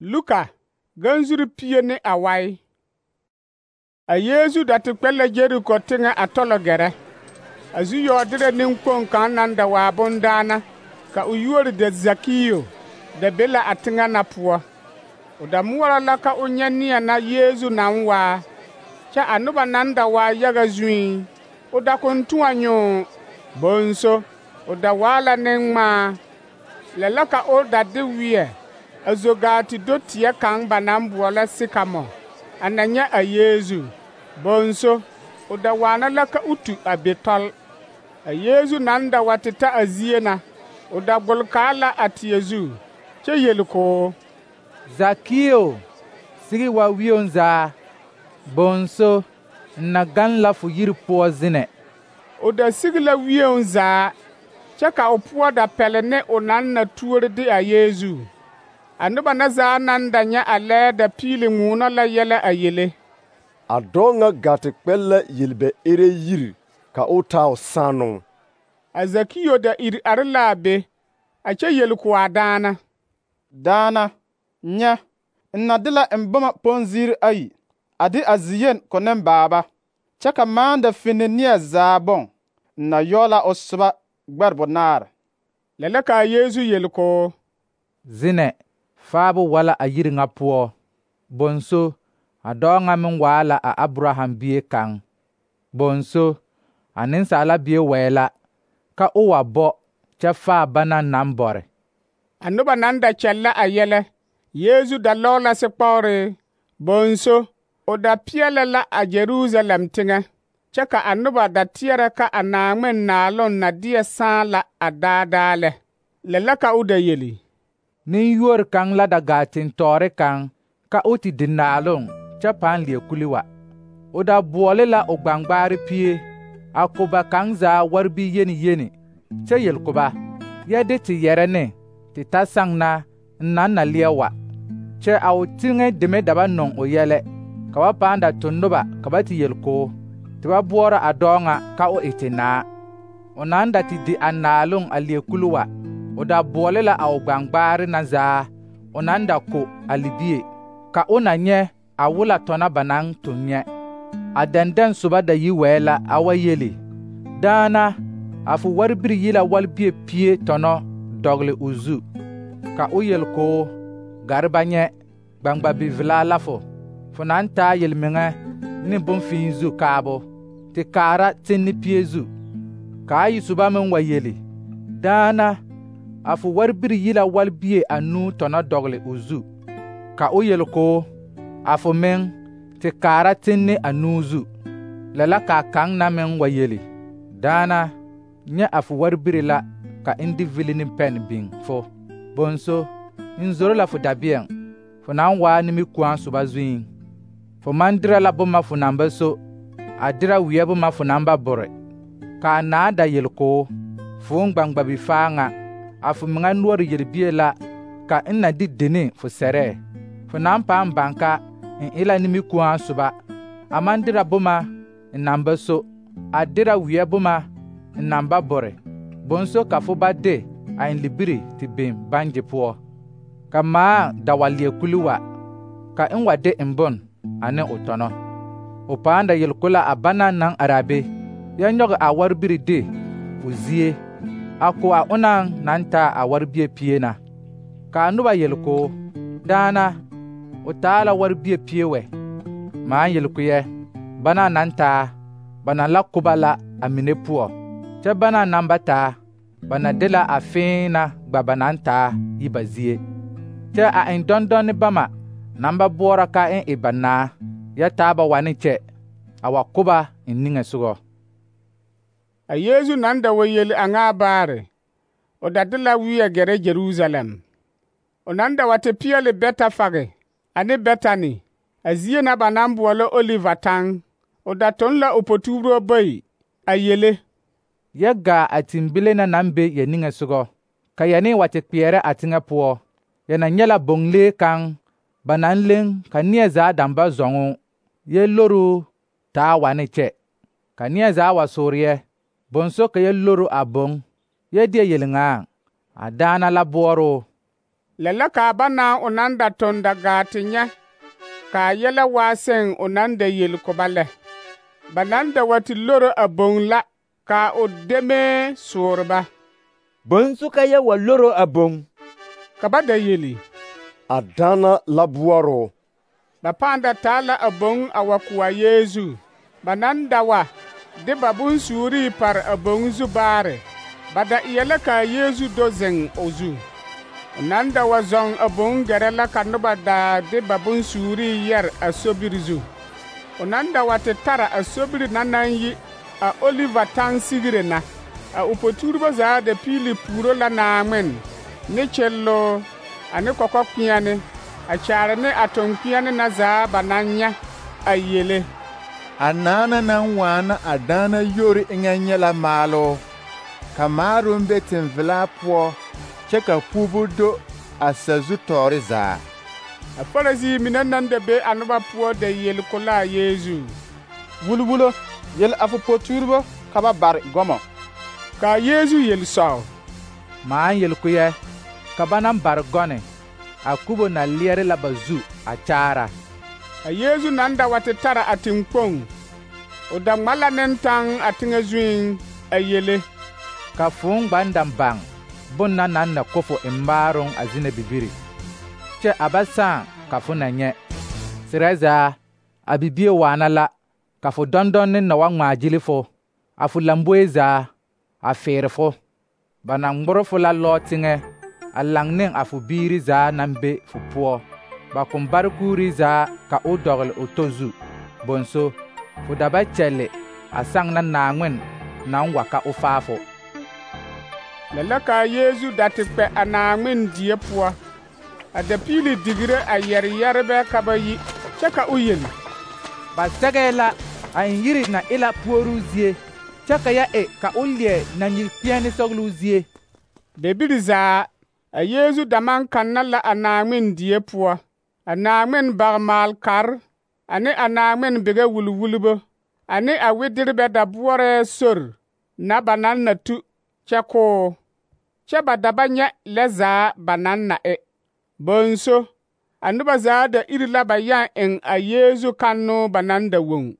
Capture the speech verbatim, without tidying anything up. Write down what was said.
Luka ganzuri pie ne awai. A Yesu da te kpɛ la Jeriko teŋɛ a tɔlɔ gɛrɛ. A zu yɔɔderɛ nenkpoŋ kaŋ naŋ da waa bondaana, ka o yuori da Zakio da be la a teŋɛ na poɔ. O da moɔrɔ la ka o nyɛ neɛ na Yesu naŋ waa, kyɛ a noba naŋ da waa yaga zuiŋ, o da koŋ tõɔ nyoo. Bonso, o da waa la neŋŋmaa. Lɛ la ka o da de weɛ a zo gaa te do teɛ kaŋ ba naŋ boɔlɔ Sikamo, a na nyɛ a Yesu. Bonso, o da waana la ka o tu a be tɔl. A Yesu naŋ da wa te ta a zie na, o da gbolkaa la a teɛ zu, kyɛ yeli k'o: Zakio, sigi wa wioŋ zaa. Bonso, n na gaŋ la fo yiri poɔ zenɛ. O da sigi la wioŋ zaa, kyɛ ka o poɔ da pɛle ne o naŋ na tuori de a Yesu. A noba na zaa naŋ da nyɛ a lɛɛ da piili ŋuunɔ la yɛlɛ a yele. A dɔɔ ŋa gaa te kpɛ la yelbɛ ere yiri ka o taa o saanoŋ. A Zakio da iri are la a be, a kyɛ yeli ko a daana: Daana, nyɛ, n na de la n boma ponziiri ayi, a de a ziyen ko nembaaba, kyɛ ka maa da finni neɛ zaa boŋ, n na yɔɔ la o soba gbɛre banaare. Lɛ la ka a Yesu yeli k'o: Zenɛ, faabo wa la a yiri ŋa poɔ. Bonso, a dɔɔ ŋa meŋ waa la a Abraham bie kaŋ. Bonso, a nensaala bie wɛɛ la, ka o wa bɔ kyɛ faa bana naŋ bɔre. A noba naŋ da kyɛllɛ a yɛlɛ, Yesu da lɔɔ la sekpɔɔre. Bonso, o da peɛlɛ la a Jerusalem teŋɛ, kyɛ ka a noba da teɛrɛ ka a Naaŋmen Naaloŋ na deɛ sãã la a daadaa lɛ. Lɛ la ka o da yeli: Nenyuori kaŋ la da gaa tentɔɔre kaŋ, ka o te di naaloŋ kyɛ pãã leɛ kuli wa. O da boɔle la o gbaŋgbaare pie, a ko ba kaŋ zaa waribi yeni yeni, kyɛ yel ko ba: yɛ de te yɛrɛ ne te ta saŋ na n naŋ na leɛ wa. Kyɛ a o teŋɛ deme da ba nɔŋ o yɛlɛ, ka ba pãã da to noba ka ba te yel k'o, te ba boɔrɔ a dɔɔ ŋa ka o e te naa. O naŋ da te di a naaloŋ a leɛ kuli wa, o da boɔle la a o gbaŋgbaare na zaa o naŋ da ko a libie, ka o na nyɛ a wola tɔna ba naŋ toŋ nyɛ. A dɛndɛŋ soba da yi wɛɛ la a wa yeli: Daana, a fo waribiri yi la walbie pie tɔnɔ dɔgele o zu. Ka o yel k'o: gare ba nyɛ, gbaŋgba-bivelaa la fo, fo naŋ taa yelmeŋɛ ne bonfii zu kaabo, te kaara tenne pie zu. Ka a yi soba meŋ wa yeli: Daana, a fo waribiri yi la walbie anuu tɔnɔ dɔgele o zu. Ka o yel k'o: a fo meŋ, te kaara tenne anuu zu. Lɛ la k'a kaŋ na meŋ wa yeli: Daana, nyɛ a fo waribiri la ka n de vili ne pɛn biŋ fo. Bonso, n zoro la fo dabeɛŋ, fo naŋ waa nimikuɔŋ soba zuiŋ. Fo maŋ derɛ la boma fo naŋ ba so, a derɛ weɛ boma fo naŋ ba bore. Ka a naa da yel k'o: foon gbaŋgba-bifaa ŋa, a fo meŋa noɔre yelbie la ka n na de dene fo sɛrɛɛ. Fo naŋ pãã baŋ ka n e la nimikuɔŋ soba, a maŋ derɛ boma n naŋ ba so, a derɛ weɛ boma n naŋ ba bore. Bonso ka fo ba de a n libiri te biŋ bangye poɔ. Ka maa da wa leɛ kuli wa, ka n wa de n bon ane o tɔnɔ. O pãã da yel ko la a bana naŋ are a be, yɛ nyɔge a waribiri de o zie, a ko a onaŋ naŋ taa a waribie pie na. Ka a noba yel k'o: Daana, o taa la waribie pie wɛ. Maa yel ko yɛ: bana naŋ taa, ba na la ko ba la a mine poɔ, kyɛ bana naŋ ba taa, ba na de la a fẽẽ na gba ba naŋ taa yi ba zie. Kyɛ a eŋ dɔndɔne bama naŋ ba boɔrɔ ka n e ba naa, yɛ taa ba wane kyɛ, a wa ko ba n niŋesogɔ. A Yesu naŋ da wa yeli a ŋa baare, o da de la weɛ gɛrɛ Jerusalem. O naŋ da wa te peɛle Bɛtafage ane Bɛtani, a zie na ba naŋ boɔlɔ Oliva taŋ. O da toŋ la o potugiro bayi a yele: Yɛ gaa a timbile na naŋ be yɛ niŋesogɔ, ka yɛ ne wa te kpeɛrɛ a teŋɛ poɔ. Yɛ na nyɛ la boŋlee kaŋ ba naŋ leŋ ka neɛ zaa daŋ ba zɔŋoo, yɛ loro taa wane kyɛ. Ka neɛ zaa wa soore yɛ, bonso ka yɛ loro a boŋ, yɛ deɛ yelŋaaŋ, a daana la boɔroo. Lɛ la kaa ba naa o naŋ da toŋ da gaa te nyɛ kaa yɛlɛ waa seŋ o naŋ da yel ko ba lɛ. Ba naŋ da wa te loro a boŋ la kaa o demee soore ba. Bonsu ka yɛ wa loro a boŋ? Ka ba da yeli: A daana la boɔroo. Ba pãã da taa la a boŋ a wa ko a Yeezu. Ba naŋ da wa de ba bonsuurii pare a boŋ zu baare, ba da eɛ la kaa Yeezu do zeŋ o zu. O naŋ da wa zɔŋ a boŋ gɛrɛ la ka noba daa de ba bonsuurii yɛre a sobiri zu. O naŋ da wa te tara a sobiri na naŋ yi a Oliva taŋsigire na. A o potuurebo zaa da piili puuro la Naaŋmen ne kyelloo ane kɔkɔkpeɛne a kyaare ne a toŋkpeɛne na zaa ba naŋ nyɛ a yele. A naana naŋ waana a daana yori eŋɛ nyɛ la maaloo, ka maaroŋ be tenvelaa poɔ, kyɛ ka puubu do a sazu tɔɔre zaa. A Farisii mine naŋ da be a noba poɔ da yel ko la a Yeezu: Wulwulo, yel a fo potuurebo ka ba bare gɔmɔ. Kaa Yeezu yel sɔɔ: Maan yel ko yɛ, ka ba naŋ bare gɔne, a kubo na leɛre la ba zu a kyaara. A Yeezu naŋ da wa te tara a teŋkpoŋ, o da ŋma la ne taŋ a teŋɛ zuiŋ a yele: Ka fooŋ gbandaŋ baŋ bonna naŋ na ko fo embaaroŋ a zina bibiri, kyɛ a ba sãã ka fo na nyɛ. Serɛ zaa, a bibie waana la, ka fo dɔndɔnne na wa ŋmaa gyili fo, a fo lamboe zaa, a feere fo. Ba na ŋmore fo la lɔɔ teŋɛ, a laŋ ne a fo biiri zaa naŋ be fo poɔ. Ba kõn bare kuuri zaa ka o dɔgele o tɔ zu. Bonso, fo da ba kyɛlle a saŋ na Naaŋmen naŋ wa ka o faa fo. Lɛ la kaa Yeezu da te kpɛ a Naaŋmen die poɔ, a da piili digire a yɛre yɛrebɛ ka ba yi, kyɛ ka o yeli: Ba sɛgɛɛ la a eŋ yiri na e la puoruu zie, kyɛ ka yɛ e ka o leɛ nanyir-kpeɛne sɔgeloo zie. Debiri zaa, a Yeezu da maŋ kanna la a Naaŋmen die poɔ, a Naaŋmen bagmaal-kar ane a Naaŋmen bigɛ wulwulbo ane a widirbɛ da boɔrɛɛ sori na ba naŋ na tu kyɛ koo, kyɛ ba da ba nyɛ lɛ zaa ba naŋ na e. Bonso, a noba zaa da iri la ba yãã eŋ a Yeezu kannoo ba naŋ da woŋ.